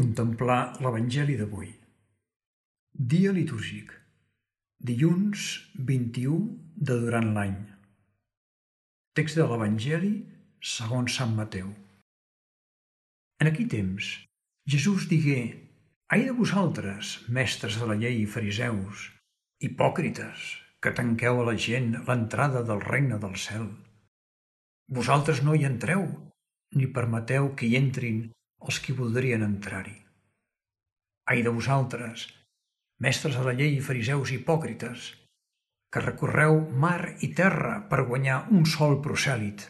Contemplar l'Evangeli d'avui. Dia litúrgic. Dilluns 21 de durant l'any. Text de l'Evangeli segons Sant Mateu. En aquell temps, Jesús digué: «Ai de vosaltres, mestres de la llei i fariseus, hipòcrites, que tanqueu a la gent l'entrada del regne del cel. Vosaltres no hi entreu, ni permeteu que hi entrin els qui voldrien entrar-hi. Ai de vosaltres, mestres de la llei i fariseus hipòcrites, que recorreu mar i terra per guanyar un sol prosèlit,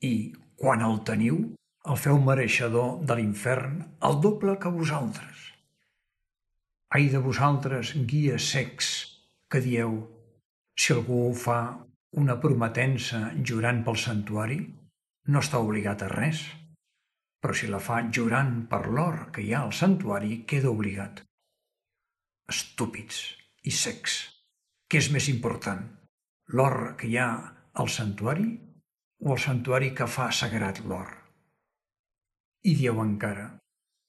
i, quan el teniu, el feu mereixedor de l'infern el doble que vosaltres. Ai de vosaltres, guies cecs, que dieu: si algú fa una prometença jurant pel santuari, no està obligat a res, però si la fa jurant per l'or que hi ha al santuari, queda obligat. Estúpids i cecs, què és més important, l'or que hi ha al santuari o el santuari que fa sagrat l'or? I dieu encara: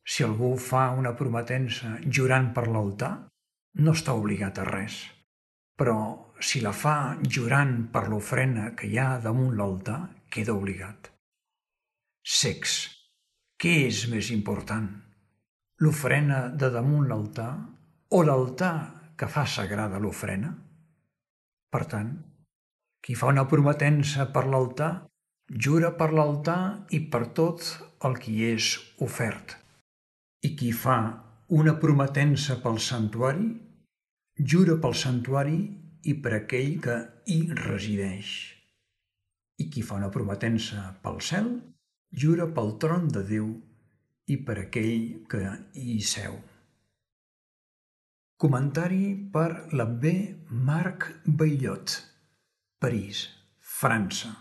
si algú fa una prometença jurant per l'altar, no està obligat a res, però si la fa jurant per l'ofrena que hi ha damunt l'altar, queda obligat. Cecs, què és més important, l'ofrena de damunt l'altar o l'altar que fa sagrada l'ofrena? Per tant, qui fa una prometença per l'altar, jura per l'altar i per tot el que hi és ofert. I qui fa una prometença pel santuari, jura pel santuari i per aquell que hi resideix. I qui fa una prometença pel cel, jura pel tron de Déu i per aquell que hi seu. Comentari per l'abbé Marc Baillot, París, França.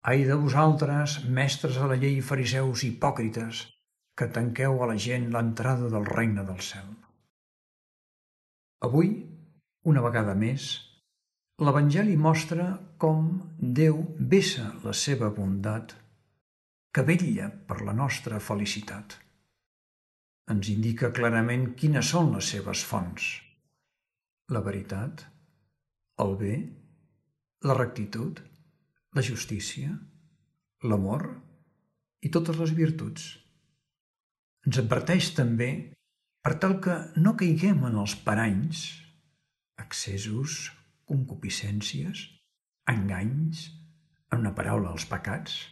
Ai de vosaltres, mestres de la llei i fariseus hipòcrites, que tanqueu a la gent l'entrada del regne del cel. Avui, una vegada més, l'Evangeli mostra com Déu vessa la seva bondat, que vetlla per la nostra felicitat. Ens indica clarament quines són les seves fonts: la veritat, el bé, la rectitud, la justícia, l'amor i totes les virtuts. Ens adverteix també per tal que no caiguem en els paranys, excessos, concupiscències, enganys, en una paraula, els pecats,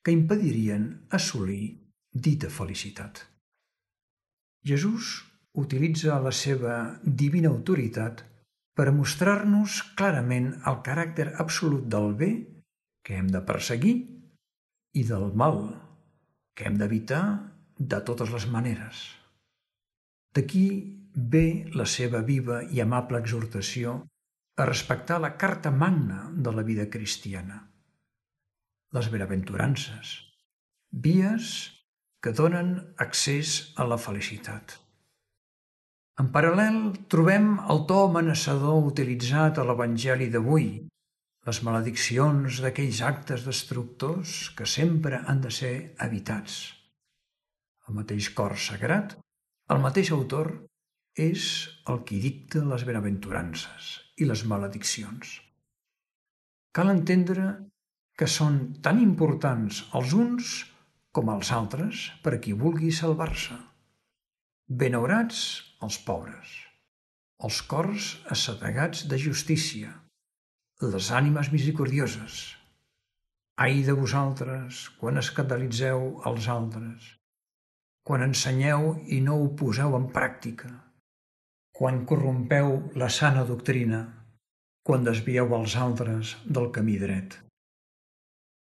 que impedirien assolir dita felicitat. Jesús utilitza la seva divina autoritat per mostrar-nos clarament el caràcter absolut del bé que hem de perseguir i del mal que hem d'evitar de totes les maneres. D'aquí ve la seva viva i amable exhortació a respectar la carta magna de la vida cristiana, les benaventurances, vies que donen accés a la felicitat. En paral·lel trobem el to amenaçador utilitzat a l'Evangeli d'avui, les malediccions d'aquells actes destructors que sempre han de ser evitats. El mateix cor sagrat, el mateix autor, és el qui dicta les benaventurances i les malediccions. Cal entendre que són tan importants els uns com els altres per a qui vulgui salvar-se. Benaurats els pobres, els cors assetegats de justícia, les ànimes misericordioses. Ai de vosaltres quan escandalitzeu els altres, quan ensenyeu i no ho poseu en pràctica, quan corrompeu la sana doctrina, quan desvieu els altres del camí dret.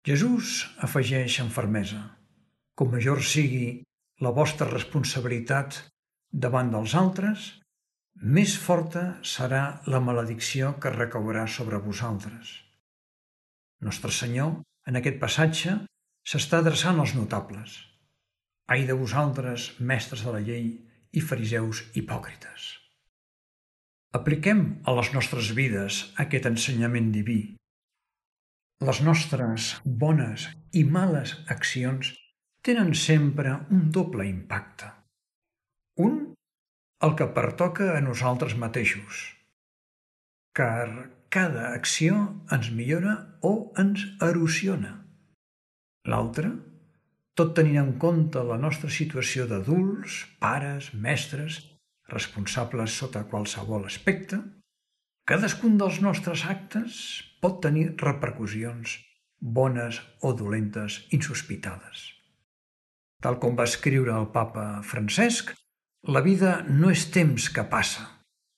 Jesús afegeix amb fermesa: com major sigui la vostra responsabilitat davant dels altres, més forta serà la maledicció que recaurà sobre vosaltres. Nostre Senyor, en aquest passatge, s'està adreçant als notables. Ai de vosaltres, mestres de la llei i fariseus hipòcrites. Apliquem a les nostres vides aquest ensenyament diví. Les nostres bones i males accions tenen sempre un doble impacte. Un, el que pertoca a nosaltres mateixos, car cada acció ens millora o ens erosiona. L'altre, tot tenint en compte la nostra situació d'adults, pares, mestres, responsables sota qualsevol aspecte, cadascun dels nostres actes pot tenir repercussions, bones o dolentes, insospitades. Tal com va escriure el papa Francesc, la vida no és temps que passa,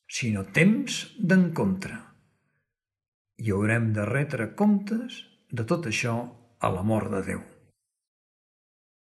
sinó temps d'encontre. I haurem de retre comptes de tot això a l'amor de Déu.